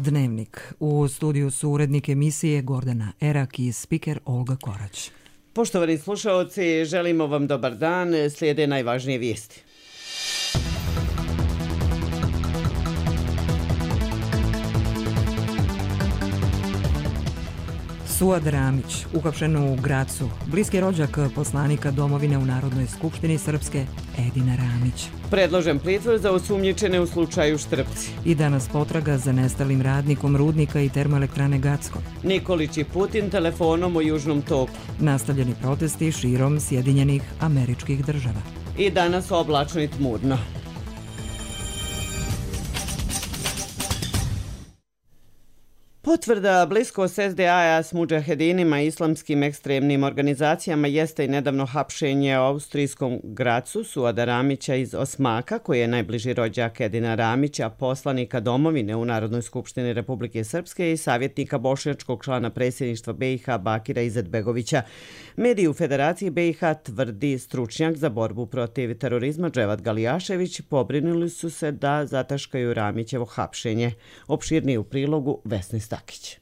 Dnevnik. U studiju su urednik emisije Gordana Erak i spiker Olga Korać. Poštovani slušaoci, želimo vam dobar dan. Slijede najvažnije vijesti. Suad Ramić, uhapšen u Gracu, bliski rođak poslanika domovine u Narodnoj skupštini Srpske, Edina Ramić. Predložen pritvor za osumnjičene u slučaju Štrpci. I danas potraga za nestalim radnikom rudnika i termoelektrane Gacko. Nikolić i Putin telefonom o Južnom toku. Nastavljeni protesti širom Sjedinjenih Američkih Država. I danas oblačno i tmurno. Potvrda bliskost SDA s mudžahedinima i islamskim ekstremnim organizacijama jeste i nedavno hapšenje u austrijskom Gracu Suada Ramića iz Osmaka, koji je najbliži rođak Edina Ramića, poslanika domovine u Narodnoj skupštini Republike Srpske i savjetnika bošnjačkog člana predsjedništva BiH Bakira Izetbegovića. Mediji u Federaciji BiH, tvrdi stručnjak za borbu protiv terorizma Dževad Galijašević, pobrinuli su se da zataškaju Ramićevo hapšenje. Opširniji u prilogu Vesni Stakić.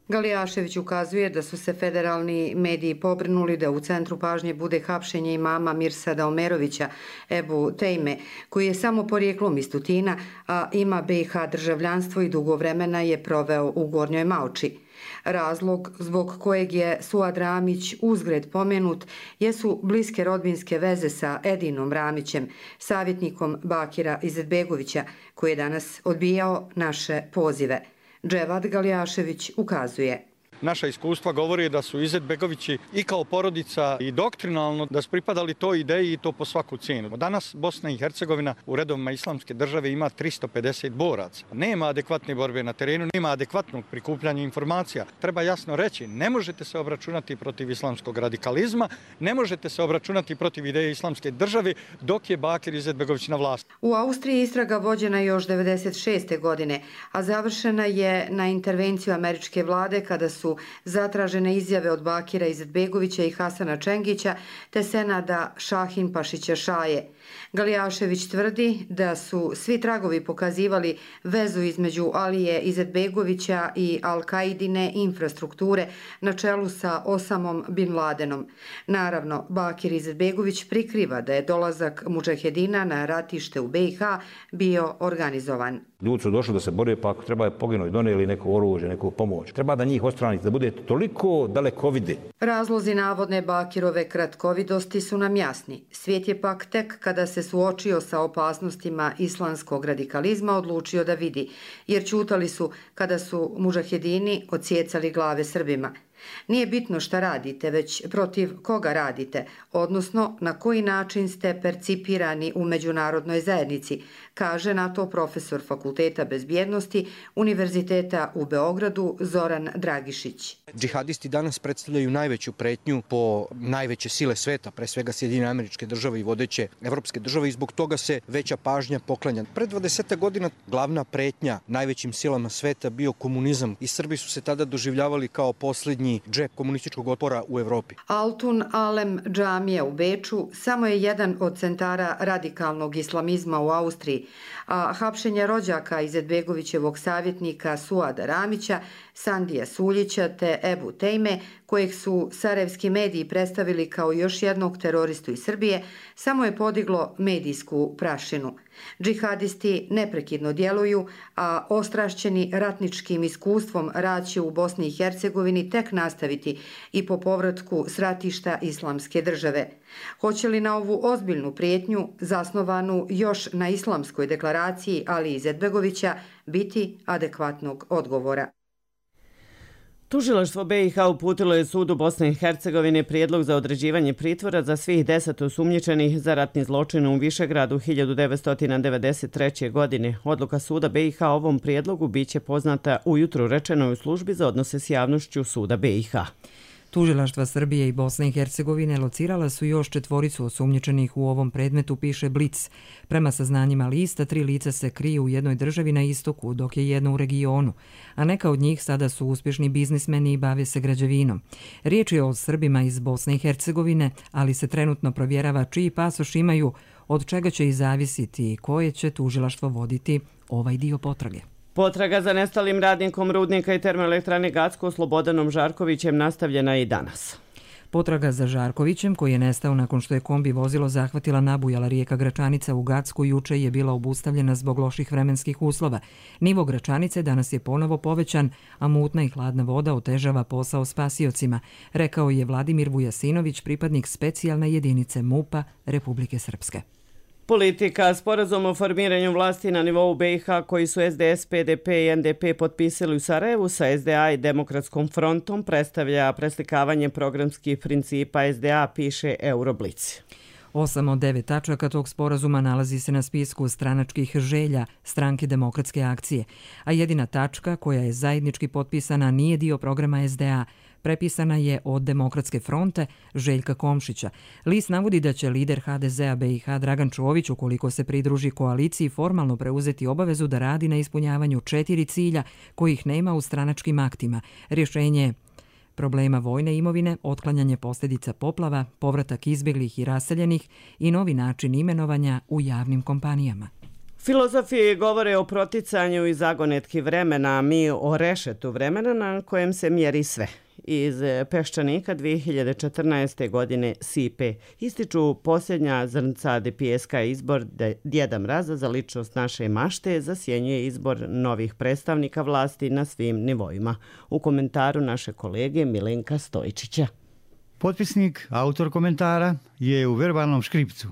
Galijašević ukazuje da su se federalni mediji pobrinuli da u centru pažnje bude hapšenje imama Mirsada Omerovića, Ebu Tejme, koji je samo porijeklom iz Tutina, a ima BiH državljanstvo i dugo vremena je proveo u Gornjoj Maoči. Razlog zbog kojeg je Suad Ramić uzgred pomenut jesu bliske rodbinske veze sa Edinom Ramićem, savjetnikom Bakira Izetbegovića, koji je danas odbijao naše pozive. Dževad Galijašević ukazuje. Naša iskustva govori da su Izetbegovići i kao porodica i doktrinalno da su pripadali toj ideji i to po svaku cijenu. Danas Bosna i Hercegovina u redovima islamske države ima 350 boraca. Nema adekvatne borbe na terenu, nema adekvatnog prikupljanja informacija. Treba jasno reći, ne možete se obračunati protiv islamskog radikalizma, ne možete se obračunati protiv ideje islamske države dok je Bakir Izetbegović na vlasti. U Austriji istraga vođena još 1996. godine, a završena je na intervenciju američke vlade kada su zatražene izjave od Bakira Izetbegovića i Hasana Čengića te Senada Šahin Pašića Šaje. Galijašević tvrdi da su svi tragovi pokazivali vezu između Alije Izetbegovića i Al-Kaidine infrastrukture na čelu sa Osamom Bin Ladenom. Naravno, Bakir Izetbegović prikriva da je dolazak mudžahedina na ratište u BiH bio organizovan. Ljudi su došli da se bore, pa ako treba je poginuti, donijeli neko oružje, neku pomoć. Treba da njih odstraniti, da bude toliko dalekovide. Razlozi navodne Bakirove kratkovidosti su nam jasni. Svijet je pak tek kada se suočio sa opasnostima islamskog radikalizma odlučio da vidi, jer ćutali su kada su mudžahedini odsjecali glave Srbima. Nije bitno šta radite, već protiv koga radite, odnosno na koji način ste percipirani u međunarodnoj zajednici, kaže na to profesor Fakulteta bezbjednosti Univerziteta u Beogradu Zoran Dragišić. Džihadisti danas predstavljaju najveću pretnju po najveće sile sveta, pre svega Sjedinjene Američke Države i vodeće evropske države, i zbog toga se veća pažnja poklanja. Pred 20 godina glavna pretnja najvećim silama sveta bio komunizam i Srbi su se tada doživljavali kao posljednji džep komunističkog otpora u Evropi. Altun Alem džamija u Beču samo je jedan od centara radikalnog islamizma u Austriji, a hapšenje rođaka Izetbegovićevog savjetnika Suada Ramića, Sandija Suljića te Ebu Tejme, kojeg su sarajevski mediji predstavili kao još jednog teroristu iz Srbije, samo je podiglo medijsku prašinu. Džihadisti neprekidno djeluju, a ostrašćeni ratničkim iskustvom rad će u Bosni i Hercegovini tek nastaviti i po povratku s ratišta islamske države. Hoće li na ovu ozbiljnu prijetnju, zasnovanu još na islamskoj deklaraciji Alije Izetbegovića, biti adekvatnog odgovora? Tužilaštvo BiH uputilo je sudu Bosne i Hercegovine prijedlog za određivanje pritvora za svih 10 osumnjičenih za ratni zločin u Višegradu 1993. godine. Odluka suda BiH o ovom prijedlogu biće poznata ujutro, rečeno je u službi za odnose s javnošću suda BiH. Tužilaštva Srbije i Bosne i Hercegovine locirala su još 4 osumnjičenih u ovom predmetu, piše Blic. Prema saznanjima lista, 3 lica se kriju u jednoj državi na istoku, dok je jedno u regionu, a neka od njih sada su uspješni biznismeni i bave se građevinom. Riječ je o Srbima iz Bosne i Hercegovine, ali se trenutno provjerava čiji pasoš imaju, od čega će i zavisiti i koje će tužilaštvo voditi ovaj dio potrage. Potraga za nestalim radnikom rudnika i termoelektrane Gacko Slobodanom Žarkovićem nastavljena i danas. Potraga za Žarkovićem, koji je nestao nakon što je kombi vozilo zahvatila nabujala rijeka Gračanica u Gacku, juče je bila obustavljena zbog loših vremenskih uslova. Nivo Gračanice danas je ponovo povećan, a mutna i hladna voda otežava posao spasiocima, rekao je Vladimir Vujasinović, pripadnik specijalne jedinice MUP-a Republike Srpske. Politika. Sporazum o formiranju vlasti na nivou BiH koji su SDS, PDP i NDP potpisali u Sarajevu sa SDA i Demokratskom frontom predstavlja preslikavanje programskih principa SDA, piše Euroblic. 8 od 9 tačaka tog sporazuma nalazi se na spisku stranačkih želja Stranke demokratske akcije, a jedina tačka koja je zajednički potpisana nije dio programa SDA, prepisana je od Demokratske fronte Željka Komšića. List navodi da će lider HDZ-a BiH Dragan Čović, ukoliko se pridruži koaliciji, formalno preuzeti obavezu da radi na ispunjavanju 4 cilja kojih nema u stranačkim aktima. Rješenje problema vojne imovine, otklanjanje posljedica poplava, povratak izbjeglih i raseljenih i novi način imenovanja u javnim kompanijama. Filozofi govore o proticanju i zagonetki vremena, a mi o rešetu vremena na kojem se mjeri sve. Iz Peščanika 2014. godine Sipe ističu posljednja zrnca pijeska. Izbor Djeda Mraza za ličnost naše mašte zasjenjuje izbor novih predstavnika vlasti na svim nivoima. U komentaru naše kolege Milenka Stojičića. Potpisnik, autor komentara, je u verbalnom škripcu.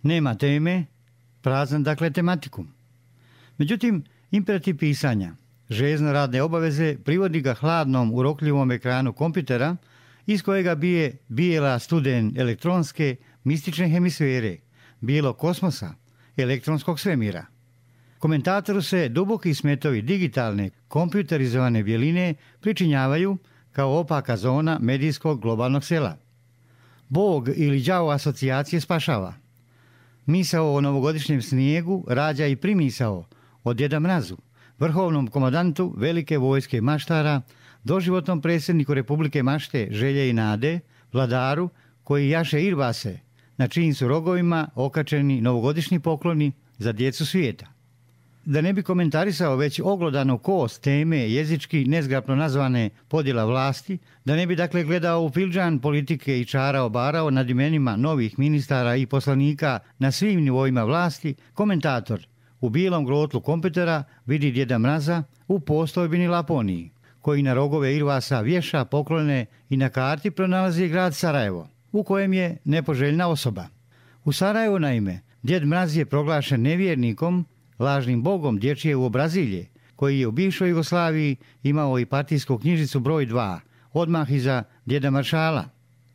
Nema teme, prazan dakle tematikum. Međutim, imperativ pisanja, željezno radne obaveze privodi ga hladnom, urokljivom ekranu kompjutera iz kojega bije bijela studen elektronske mistične hemisfere, bijelog kosmosa, elektronskog svemira. Komentatoru se duboki smetovi digitalne, kompjuterizovane bjeline pričinjavaju kao opaka zona medijskog globalnog sela. Bog ili đavo asocijacije spašava. Misao o novogodišnjem snijegu rađa i primisao o Djeda Mrazu, vrhovnom komandantu velike vojske maštara, doživotnom predsjedniku Republike Mašte Želje i Nade, vladaru koji jaše irbase, na čijim su rogovima okačeni novogodišnji pokloni za djecu svijeta. Da ne bi komentarisao već oglodanu kost teme jezički nezgrapno nazvane podjela vlasti, da ne bi dakle gledao u filđan politike i čarao barao nad imenima novih ministara i poslanika na svim nivoima vlasti, komentator u bijelom grotlu kompjutera vidi Djeda Mraza u postojbini Laponiji, koji na rogove irvasa vješa poklone i na karti pronalazi grad Sarajevo, u kojem je nepoželjna osoba. U Sarajevu, naime, Djed Mraz je proglašen nevjernikom, lažnim bogom dječje uobrazilje, koji je u bivšoj Jugoslaviji imao i partijsku knjižicu broj 2, odmah iza Djeda Maršala.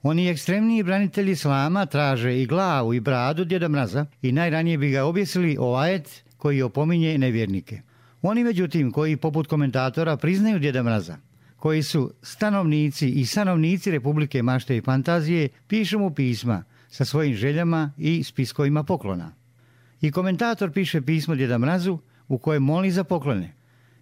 Oni ekstremniji branitelji islama traže i glavu i bradu Djeda Mraza i najranije bi ga objesili o ajet koji opominje nevjernike. Oni, međutim, koji poput komentatora priznaju Djeda Mraza, koji su stanovnici i stanovnici Republike Mašte i Fantazije, pišu mu pisma sa svojim željama i spiskovima poklona. I komentator piše pismo Djeda Mrazu u kojem moli za poklone.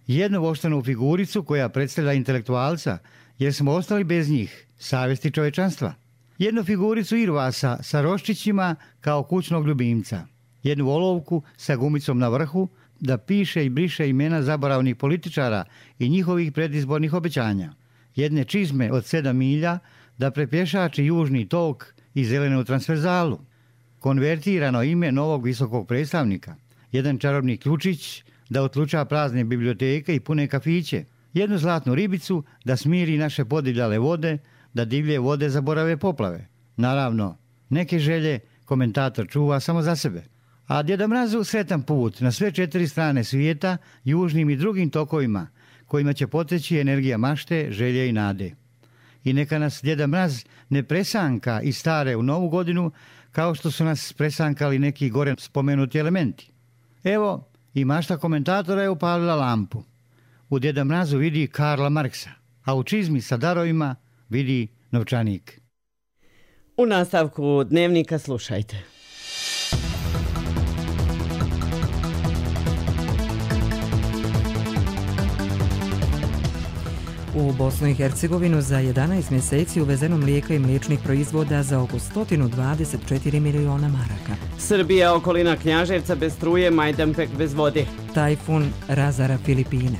Jednu voštanu figuricu koja predstavlja intelektualca, jer smo ostali bez njih, savjesti čovečanstva. Jednu figuricu irvasa sa roščićima kao kućnog ljubimca. Jednu olovku sa gumicom na vrhu da piše i briše imena zaboravnih političara i njihovih predizbornih obećanja. Jedne čizme od 7 milja da prepješači južni tok i zelenu transverzalu. Konvertirano ime novog visokog predstavnika. Jedan čarobni ključić da otluča prazne biblioteke i pune kafiće. Jednu zlatnu ribicu da smiri naše podivljale vode, da divlje vode zaborave poplave. Naravno, neke želje komentator čuva samo za sebe. A Djeda Mrazu sretan put na sve 4 strane svijeta, južnim i drugim tokovima, kojima će poteći energija mašte, želje i nade. I neka nas Djeda Mraz ne presanka iz stare u novu godinu, kao što su nas presankali neki gore spomenuti elementi. Evo, i mašta komentatora je upalila lampu. U Djeda Mrazu vidi Karla Marksa, a u čizmi sa darovima vidi novčanik. U nastavku Dnevnika slušajte. U Bosnu i Hercegovinu za 11 mjeseci uvezeno mlijeka i mliječnih proizvoda za oko 124 miliona maraka. Srbija, okolina Knjaževca bez struje, Majdanpek bez vode. Tajfun razara Filipine.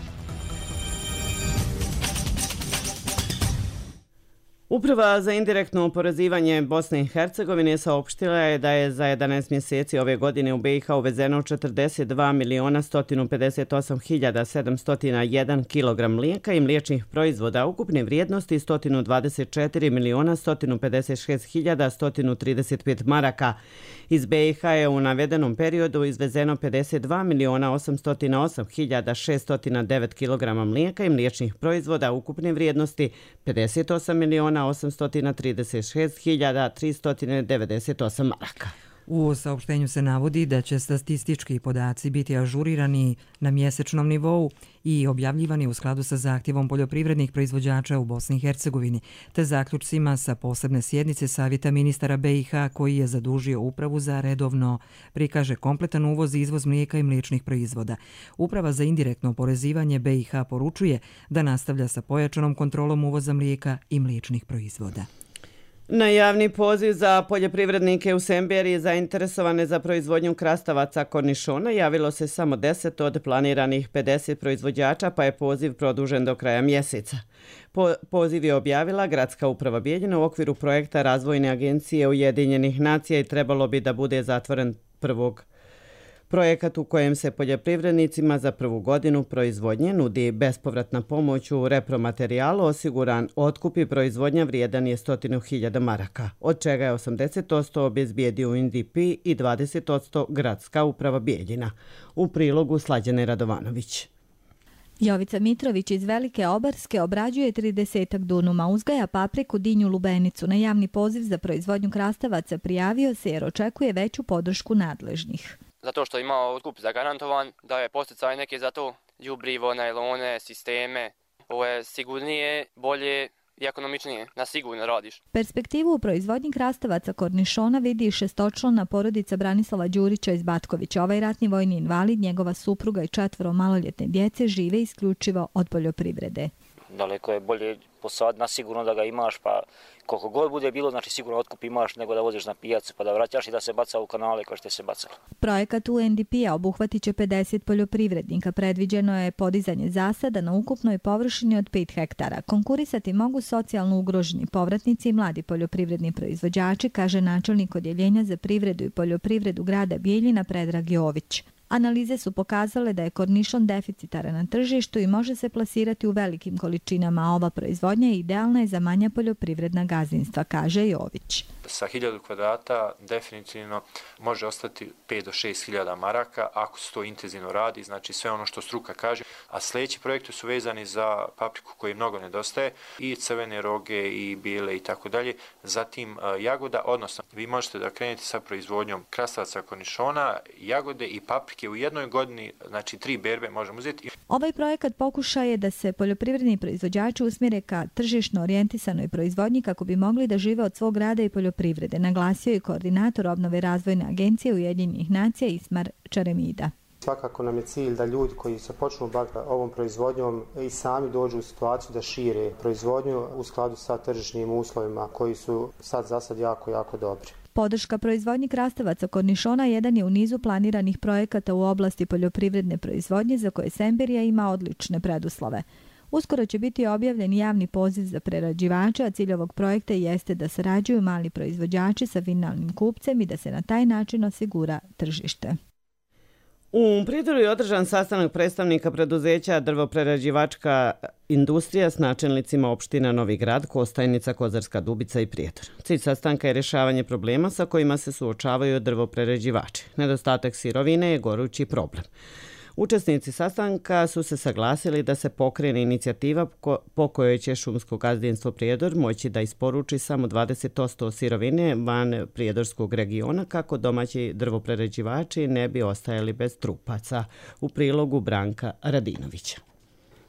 Uprava za indirektno oporezivanje Bosne i Hercegovine saopštila je da je za 11 mjeseci ove godine u BiH uvezeno 42.158.701 kg mlijeka i mliječnih proizvoda ukupne vrijednosti 124.156.135 maraka. Iz BiH je u navedenom periodu izvezeno 52.808.609 kg mlijeka i mliječnih proizvoda ukupne vrijednosti 58.836.398 maraka. U saopštenju se navodi da će statistički podaci biti ažurirani na mjesečnom nivou i objavljivani u skladu sa zahtjevom poljoprivrednih proizvođača u Bosni i Hercegovini, te zaključcima sa posebne sjednice Savjeta ministara BiH koji je zadužio upravu za redovno prikaže kompletan uvoz i izvoz mlijeka i mliječnih proizvoda. Uprava za indirektno oporezivanje BiH poručuje da nastavlja sa pojačanom kontrolom uvoza mlijeka i mliječnih proizvoda. Na javni poziv za poljoprivrednike u Semberiji zainteresovane za proizvodnju krastavaca kornišona javilo se samo 10 od planiranih 50 proizvođača, pa je poziv produžen do kraja mjeseca. Poziv je objavila Gradska uprava Bijeljina u okviru projekta Razvojne agencije Ujedinjenih nacija i trebalo bi da bude zatvoren 1. Projekat u kojem se poljoprivrednicima za prvu godinu proizvodnje nudi bespovratna pomoć u repromaterijalu, osiguran otkup i proizvodnja vrijedan je 100.000 maraka, od čega je 80% obezbijedio UNDP i 20% Gradska uprava Bijeljina. U prilogu Slađane Radovanović. Jovica Mitrović iz Velike Obarske obrađuje 30 dunuma, uzgaja papriku, dinju, lubenicu. Na javni poziv za proizvodnju krastavaca prijavio se jer očekuje veću podršku nadležnih. Zato što ima otkup zagarantovan, da je posticaj neke za to, đubrivo, najlone, sisteme. Ovo je sigurnije, bolje i ekonomičnije, na sigurno radiš. Perspektivu u proizvodnji krastavaca kornišona vidi i šestočlana porodica Branislava Đurića iz Batkovića. Ovaj ratni vojni invalid, njegova supruga i 4 maloljetne djece žive isključivo od poljoprivrede. Daleko je bolje posad na sigurno da ga imaš, pa koliko god bude bilo, znači sigurno otkup imaš nego da voziš na pijacu pa da vraćaš i da se baca u kanale kao što se bacalo. Projekat UNDP-a obuhvatit će 50 poljoprivrednika. Predviđeno je podizanje zasada na ukupnoj površini od 5 hektara. Konkurisati mogu socijalno ugroženi povratnici i mladi poljoprivredni proizvođači, kaže načelnik Odjeljenja za privredu i poljoprivredu grada Bijeljina Predrag Jović. Analize su pokazale da je kornišon deficitaran na tržištu i može se plasirati u velikim količinama, a ova proizvodnja idealna je za manja poljoprivredna gazdinstva, kaže Jović. Sa 1000 kvadrata definitivno može ostati 5 do 6.000 maraka ako se to intenzivno radi, znači sve ono što struka kaže. A sljedeći projekti su vezani za papriku koji mnogo nedostaje, i crvene roge i bijele i tako dalje. Zatim jagoda, odnosno vi možete da krenete sa proizvodnjom krastavaca kornišona, jagode i paprike u jednoj godini, znači 3 berbe možemo uzeti. Ovaj projekat pokušaj je da se poljoprivredni proizvođači usmjere ka tržišno orijentisanoj proizvodnji kako bi mogli da žive od svog rada i poljoprivrede, naglasio je koordinator obnove razvojne agencije Ujedinjenih nacija Ismar Čaremida. Svakako nam je cilj da ljudi koji se počnu baviti ovom proizvodnjom i sami dođu u situaciju da šire proizvodnju u skladu sa tržišnim uslovima koji su za sad jako dobri. Podrška proizvodnji krastavaca kornišona jedan je u nizu planiranih projekata u oblasti poljoprivredne proizvodnje za koje Semberija ima odlične preduslove. Uskoro će biti objavljen javni poziv za prerađivače, a cilj ovog projekta jeste da sarađuju mali proizvođači sa finalnim kupcem i da se na taj način osigura tržište. U Prijedoru je održan sastanak predstavnika preduzeća drvoprerađivačka industrija s načelnicima opština Novi Grad, Kostajnica, Kozarska Dubica i Prijedor. Cilj sastanka je rješavanje problema sa kojima se suočavaju drvoprerađivači. Nedostatak sirovine je gorući problem. Učesnici sastanka su se saglasili da se pokrene inicijativa po kojoj će šumsko gazdinstvo Prijedor moći da isporuči samo 20% sirovine van prijedorskog regiona kako domaći drvoprerađivači ne bi ostajali bez trupaca. U prilogu Branka Radinovića.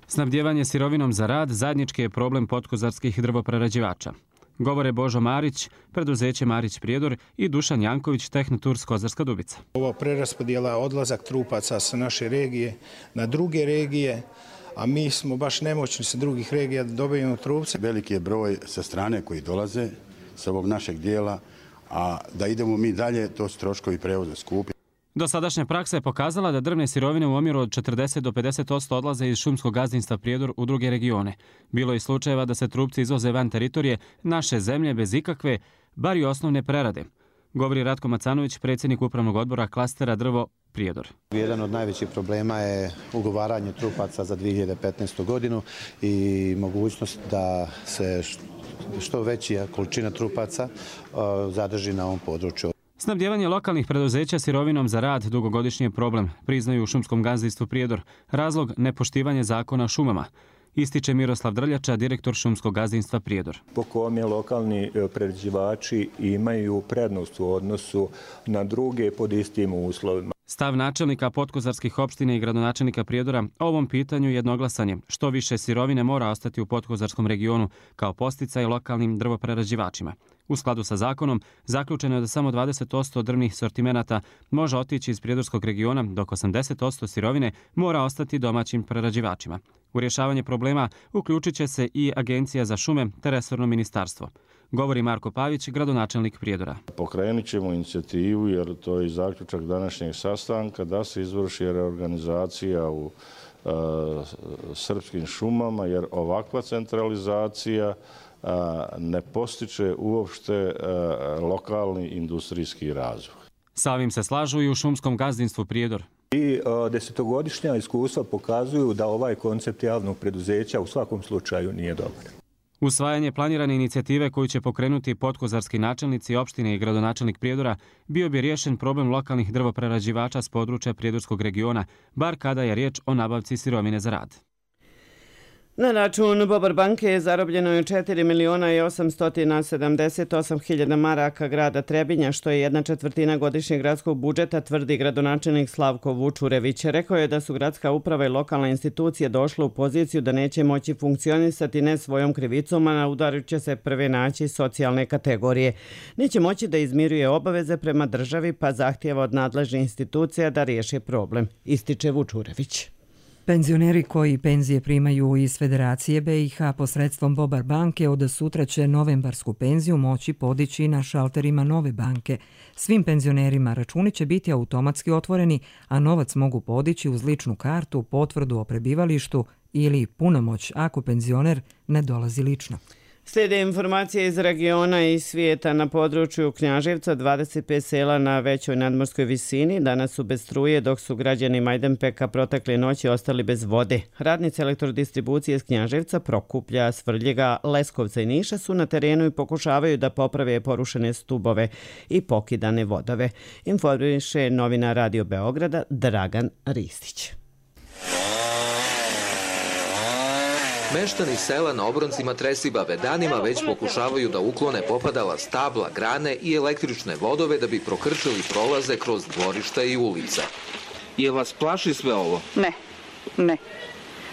Snabdjevanje sirovinom za rad zajednički je problem podkozarskih drvoprerađivača. Govore Božo Marić, preduzeće Marić Prijedor i Dušan Janković, Tehnoturs Kozarska Dubica. Ova preraspodjela odlazak trupaca sa naše regije na druge regije, a mi smo baš nemoćni sa drugih regija da dobijemo trupce. Veliki je broj sa strane koji dolaze sa ovog našeg dijela, a da idemo mi dalje, to su troškovi prevoza skupi. Dosadašnja praksa je pokazala da drvne sirovine u omjeru od 40 do 50% odlaze iz šumskog gazdinstva Prijedor u druge regione. Bilo je slučajeva da se trupci izvoze van teritorije naše zemlje bez ikakve, bar i osnovne prerade. Govori Ratko Macanović, predsjednik upravnog odbora klastera drvo Prijedor. Jedan od najvećih problema je ugovaranje trupaca za 2015. godinu i mogućnost da se što veća količina trupaca zadrži na ovom području. Snabdijevanje lokalnih preduzeća sirovinom za rad dugogodišnji je problem, priznaju u šumskom gazdinstvu Prijedor. Razlog nepoštivanje zakona o šumama. Ističe Miroslav Drljača, direktor šumskog gazdinstva Prijedor. Po kome lokalni prerađivači imaju prednost u odnosu na druge pod istim uslovima. Stav načelnika podkozarskih opština i gradonačelnika Prijedora o ovom pitanju jednoglasan je. Što više sirovine mora ostati u podkozarskom regionu kao posticaj lokalnim drvoprerađivačima. U skladu sa zakonom, zaključeno je da samo 20% drvnih sortimenata može otići iz prijedorskog regiona, dok 80% sirovine mora ostati domaćim prerađivačima. U rješavanje problema uključit će se i Agencija za šume te resorno ministarstvo. Govori Marko Pavić, gradonačelnik Prijedora. Pokrenut ćemo inicijativu, jer to je zaključak današnjeg sastanka, da se izvrši reorganizacija u srpskim šumama, jer ovakva centralizacija ne postiče uopšte lokalni industrijski razvoj. Sa ovim se slažu i u šumskom gazdinstvu Prijedor. I desetogodišnja iskustva pokazuju da ovaj koncept javnog preduzeća u svakom slučaju nije dobar. Usvajanje planirane inicijative koju će pokrenuti podkozarski načelnici opštine i gradonačelnik Prijedora bio bi riješen problem lokalnih drvoprerađivača s područja prijedorskog regiona, bar kada je riječ o nabavci sirovine za rad. Na račun Bobar banke je zarobljeno 4.878.000 maraka grada Trebinja, što je 1/4 godišnjeg gradskog budžeta, tvrdi gradonačelnik Slavko Vučurević. Rekao je da su gradska uprava i lokalna institucija došle u poziciju da neće moći funkcionisati ne svojom krivicom, a na udaru će se prve naći socijalne kategorije. Neće moći da izmiruje obaveze prema državi, pa zahtijeva od nadležnih institucija da riješe problem, ističe Vučurević. Penzioneri koji penzije primaju iz Federacije BiH posredstvom Bobar banke od sutra će novembarsku penziju moći podići na šalterima nove banke. Svim penzionerima računi će biti automatski otvoreni, a novac mogu podići uz ličnu kartu, potvrdu o prebivalištu ili punomoć ako penzioner ne dolazi lično. Slijede informacije iz regiona i svijeta. Na području Knjaževca 25 sela na većoj nadmorskoj visini danas su bez struje, dok su građani Majdanpeka protekle noći ostali bez vode. Radnici elektrodistribucije iz Knjaževca, Prokuplja, Svrljega, Leskovca i Niša su na terenu i pokušavaju da poprave porušene stubove i pokidane vodove. Informiše novinar Radio Beograda Dragan Ristić. Meštani sela na obroncima Tresibave danima već pokušavaju da uklone popadala stabla, grane i električne vodove da bi prokrčili prolaze kroz dvorišta i ulica. Je vas plaši sve ovo? Ne.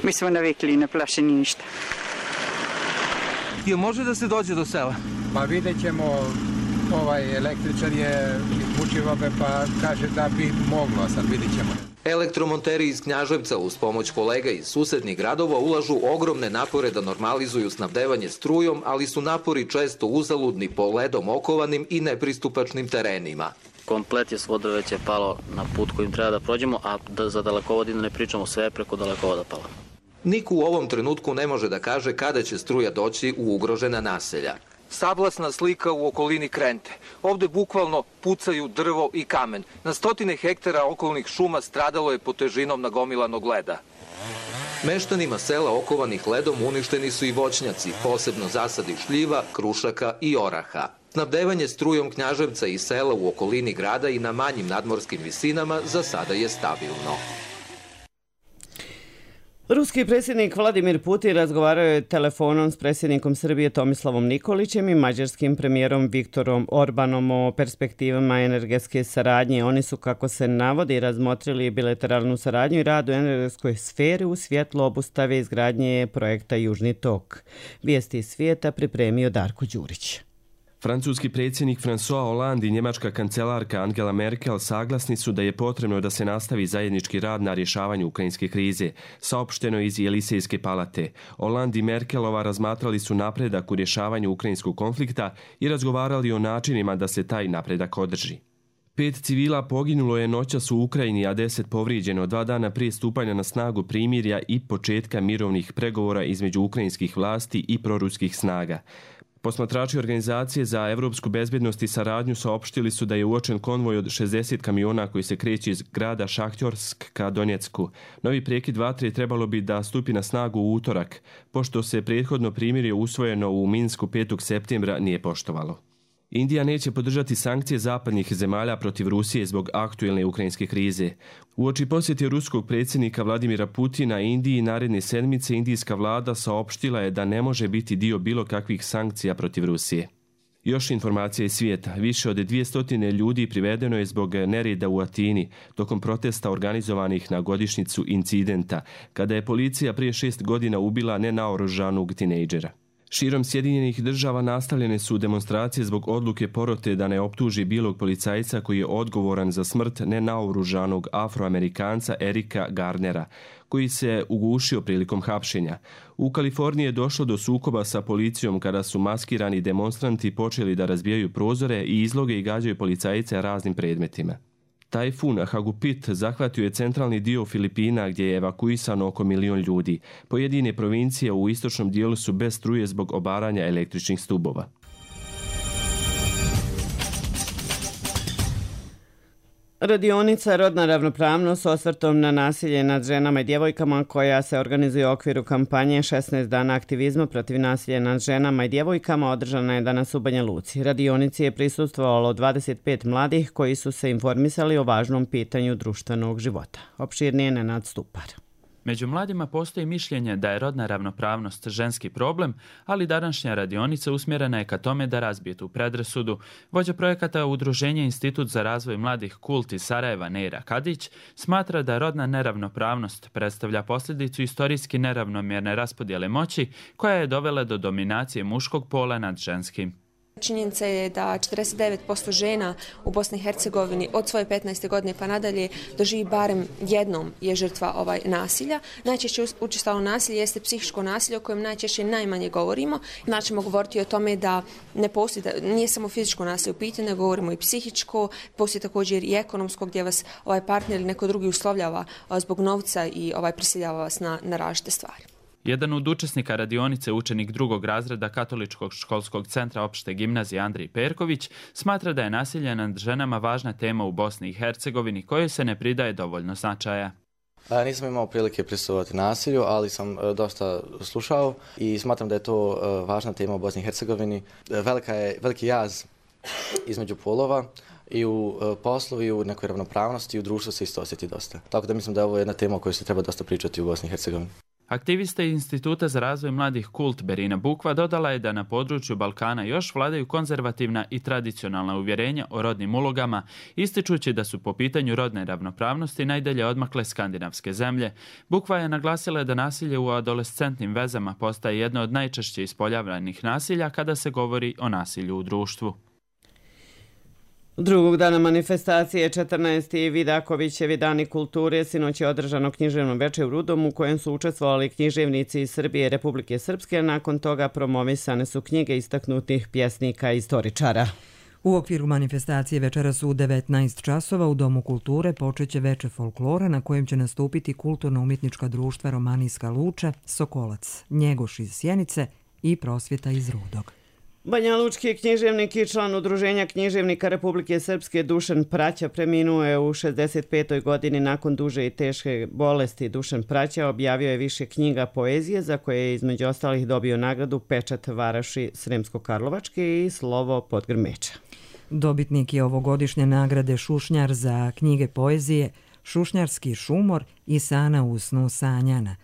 Mi smo navikli i ne plaši ništa. Je može da se dođe do sela? Pa vidjet ćemo, električar je Vučivabe pa kaže da bi moglo, a sad vidjet ćemo. Elektromonteri iz Knjaževca uz pomoć kolega iz susednih gradova ulažu ogromne napore da normalizuju snabdevanje strujom, ali su napori često uzaludni po ledom okovanim i nepristupačnim terenima. Komplet je vodove već je palo na put kojim treba da prođemo, a za dalekovod ne pričamo, sve preko dalekovoda palo. Niko u ovom trenutku ne može da kaže kada će struja doći u ugrožena naselja. Sablasna slika u okolini Krente. Ovde bukvalno pucaju drvo i kamen. Na stotine hektara okolnih šuma stradalo je pod težinom nagomilanog leda. Meštanima sela okovanih ledom uništeni su i voćnjaci, posebno zasadi šljiva, krušaka i oraha. Snabdevanje strujom Knjaževca i sela u okolini grada i na manjim nadmorskim visinama za sada je stabilno. Ruski predsjednik Vladimir Putin razgovarao je telefonom s predsjednikom Srbije Tomislavom Nikolićem i mađarskim premijerom Viktorom Orbanom o perspektivama energetske saradnje. Oni su, kako se navodi, razmotrili bilateralnu saradnju i rad u energetskoj sferi u svjetlu obustave izgradnje projekta Južni tok. Vijesti iz svijeta pripremio Darko Đurić. Francuski predsjednik François Hollande i njemačka kancelarka Angela Merkel saglasni su da je potrebno da se nastavi zajednički rad na rješavanju ukrajinske krize, saopšteno iz Elisejske palate. Hollande i Merkelova razmatrali su napredak u rješavanju ukrajinskog konflikta i razgovarali o načinima da se taj napredak održi. 5 civila poginulo je noćas u Ukrajini, a 10 povrijeđeno 2 dana prije stupanja na snagu primirja i početka mirovnih pregovora između ukrajinskih vlasti i proruskih snaga. Posmatrači Organizacije za evropsku bezbjednost i saradnju saopštili su da je uočen konvoj od 60 kamiona koji se kreće iz grada Šahtjorsk ka Donjecku. Novi prekid vatre trebalo bi da stupi na snagu u utorak, pošto se prethodno primirje usvojeno u Minsku 5. septembra nije poštovalo. Indija neće podržati sankcije zapadnih zemalja protiv Rusije zbog aktuelne ukrajinske krize. Uoči posjete ruskog predsjednika Vladimira Putina Indiji naredne sedmice indijska vlada saopštila je da ne može biti dio bilo kakvih sankcija protiv Rusije. Još informacija iz svijeta. Više od 200 ljudi privedeno je zbog nereda u Atini tokom protesta organizovanih na godišnjicu incidenta, kada je policija prije 6 godina ubila nenaoružanog tinejdžera. Širom Sjedinjenih država nastavljene su demonstracije zbog odluke porote da ne optuži bilog policajca koji je odgovoran za smrt nenaoružanog Afroamerikanca Erika Garnera, koji se ugušio prilikom hapšenja. U Kaliforniji je došlo do sukoba sa policijom kada su maskirani demonstranti počeli da razbijaju prozore i izloge i gađaju policajce raznim predmetima. Tajfun Hagupit zahvatio je centralni dio Filipina gdje je evakuisano oko 1 milion ljudi. Pojedine provincije u istočnom dijelu su bez struje zbog obaranja električnih stubova. Radionica Rodna ravnopravnost s osvrtom na nasilje nad ženama i djevojkama koja se organizuje u okviru kampanje 16 dana aktivizma protiv nasilja nad ženama i djevojkama održana je danas u Banja Luci. Radionici je prisustvovalo 25 mladih koji su se informisali o važnom pitanju društvenog života. Opširnije Nenad Stupar. Među mladima postoji mišljenje da je rodna ravnopravnost ženski problem, ali današnja radionica usmjerena je ka tome da razbije tu predrasudu. Vođa projekata Udruženja Institut za razvoj mladih Kult iz Sarajeva Neira Kadić smatra da rodna neravnopravnost predstavlja posljedicu istorijski neravnomjerne raspodjele moći koja je dovela do dominacije muškog pola nad ženskim. Činjenica je da 49% žena u Bosni i Hercegovini od svoje 15. godine pa nadalje doživi barem jednom je žrtva nasilja. Najčešće učestalo nasilje jeste psihičko nasilje o kojem najčešće najmanje govorimo. Znači ćemo govoriti o tome da ne postoji, da nije samo fizičko nasilje u pitanju, nego govorimo i psihičko, postoji također i ekonomsko gdje vas partner ili neko drugi uslovljava zbog novca i prisiljava vas na različite stvari. Jedan od učesnika radionice, učenik 2. razreda Katoličkog školskog centra opšte gimnazije Andrij Perković, smatra da je nasilje nad ženama važna tema u Bosni i Hercegovini kojoj se ne pridaje dovoljno značaja. Nisam imao prilike prisustvovati nasilju, ali sam dosta slušao i smatram da je to važna tema u Bosni i Hercegovini. Veliki jaz između polova i u poslu i u nekoj ravnopravnosti i u društvu se isto osjeti dosta. Tako da mislim da je ovo jedna tema o kojoj se treba dosta pričati u Bosni i Hercegovini. Aktivista Instituta za razvoj mladih Kult Berina Bukva dodala je da na području Balkana još vladaju konzervativna i tradicionalna uvjerenja o rodnim ulogama, ističući da su po pitanju rodne ravnopravnosti najdalje odmakle skandinavske zemlje. Bukva je naglasila da nasilje u adolescentnim vezama postaje jedno od najčešće ispoljavljenih nasilja kada se govori o nasilju u društvu. Drugog dana manifestacije 14. Vidakovićevi dani kulture sinoć je održano književno veče u Rudom u kojem su učestvovali književnici iz Srbije i Republike Srpske. Nakon toga promovisane su knjige istaknutih pjesnika i istoričara. U okviru manifestacije večeras u 19 časova u Domu kulture počeće veče folklora na kojem će nastupiti kulturno-umjetnička društva Romanijska Luča, Sokolac, Njegoš iz Sjenice i Prosvjeta iz Rudog. Banjalučki književnik i član Udruženja književnika Republike Srpske Dušan Praća preminuo je u 65. godini nakon duže i teške bolesti. Dušan Praća objavio je više knjiga poezije za koje je između ostalih dobio nagradu Pečat Varaši Sremsko-Karlovačke i Slovo Podgrmeča. Dobitnik je ovogodišnje nagrade Šušnjar za knjige poezije Šušnjarski šumor i Sana u snu sanjana.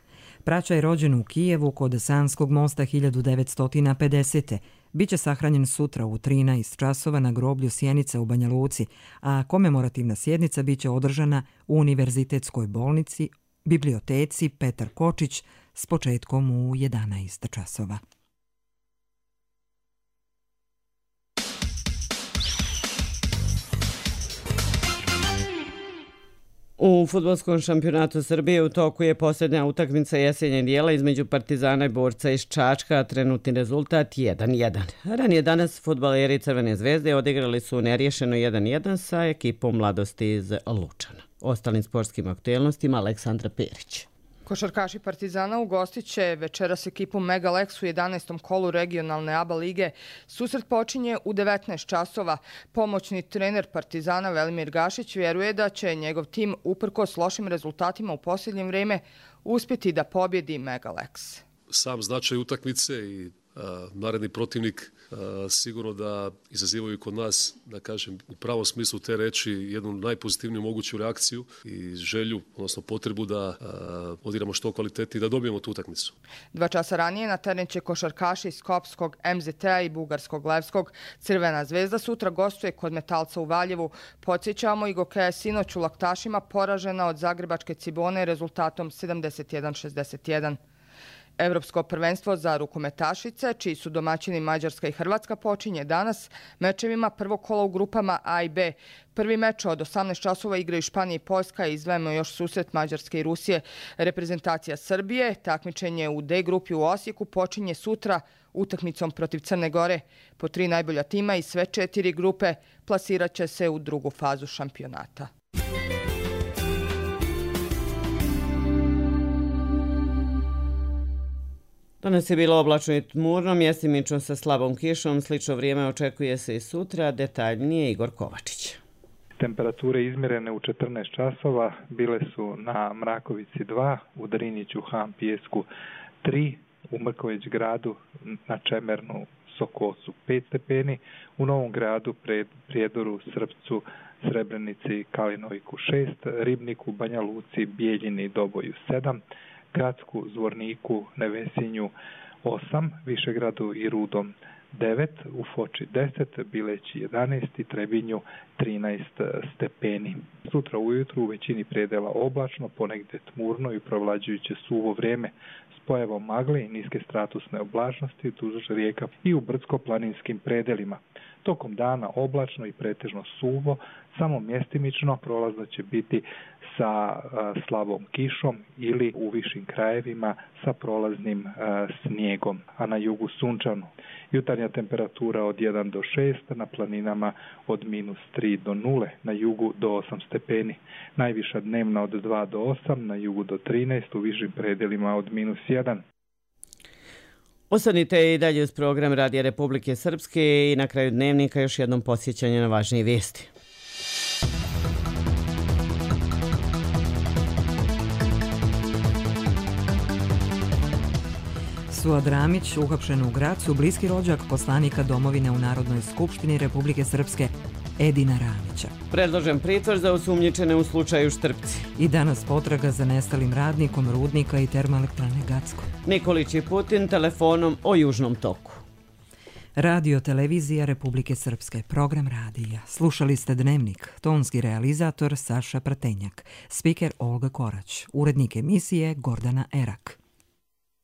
Praća je rođen u Kijevu kod Sanskog mosta 1950. Biće sahranjen sutra u 13 časova na groblju Sjenica u Banja Luci, a komemorativna sjednica biće održana u Univerzitetskoj bolnici, biblioteci Petar Kočić s početkom u 11 časova. U fudbalskom šampionatu Srbije u toku je posljednja utakmica jesenjeg dijela između Partizana i Borca iz Čačka, a trenutni rezultat 1:1. Ranije danas fudbaleri Crvene zvezde odigrali su nerješeno 1:1 sa ekipom Mladosti iz Lučana. Ostalim sportskim aktuelnostima Aleksandra Perić. Košarkaši Partizana ugostit će večeras ekipu Mega Lex u 11. kolu regionalne ABA lige. Susret počinje u 19 časova. Pomoćni trener Partizana Velimir Gašić vjeruje da će njegov tim uprkos lošim rezultatima u posljednje vrijeme uspjeti da pobjedi Mega Lex. Sam značaj utakmice i naredni protivnik sigurno da izazivaju kod nas, da kažem, u pravom smislu te reči jednu najpozitivniju moguću reakciju i želju, odnosno potrebu da odigramo što kvalitetnije i da dobijemo tu utakmicu. 2 časa ranije na teren će košarkaši iz Skopskog MZT-a i Bugarskog Levskog. Crvena zvezda sutra gostuje kod Metalca u Valjevu. Podsjećamo, Igoka je sinoć u Laktašima poražena od Zagrebačke Cibone rezultatom 71-61. Evropsko prvenstvo za rukometašice, čiji su domaćini Mađarska i Hrvatska, počinje danas mečevima prvog kola u grupama A i B. Prvi meč od 18 časova igraju Španija i Poljska i izdvajamo još susret Mađarske i Rusije. Reprezentacija Srbije, takmičenje u D grupi u Osijeku, počinje sutra utakmicom protiv Crne Gore. Po 3 najbolja tima i sve 4 grupe plasirat će se u drugu fazu šampionata. Danas je bilo oblačno i tmurno, mjestimično sa slabom kišom, slično vrijeme očekuje se i sutra, detaljnije Igor Kovačić. Temperature izmjerene u 14 časova bile su na Mrakovici 2, u Driniću, Han, Pijesku 3, u Mrković gradu, na Čemernu, Sokosu 5 stepeni, u Novom gradu, Prijedoru, Srpcu, Srebrenici, Kalinoviku 6, Ribniku, Banja Luci, Bijeljini, Doboju 7, Gradsku, Zvorniku, Nevesinju 8, Višegradu i Rudom 9, u Foči 10, Bileći 11 i Trebinju 13 stepeni. Sutra ujutru u većini predela oblačno, ponegdje tmurno i provlađujuće suvo vrijeme s pojavom magle i niske stratusne oblačnosti duž rijeka i u brdsko-planinskim predelima. Tokom dana oblačno i pretežno suvo, samo mjestimično prolazno će biti sa slabom kišom ili u višim krajevima sa prolaznim snijegom, a na jugu sunčano. Jutarnja temperatura od 1 do 6, na planinama od -3 do 0, na jugu do 8 stepeni. Najviša dnevna od 2 do 8, na jugu do 13, u višim predelima od -1. Ostanite i dalje uz program Radija Republike Srpske i na kraju dnevnika još jednom podsjećanje na važnije vijesti. Suad Ramić, uhapšen u Gracu, bliski rođak poslanika domovine u Narodnoj skupštini Republike Srpske Edina Ramića. Predložen pritvor za osumnjičene u slučaju Štrpci. I danas potraga za nestalim radnikom rudnika i termoelektrane Gacko. Nikolić i Putin telefonom o Južnom toku. Radio Televizija Republike Srpske, program radija. Slušali ste Dnevnik, tonski realizator Saša Pratenjak, spiker Olga Korać, urednik emisije Gordana Erak.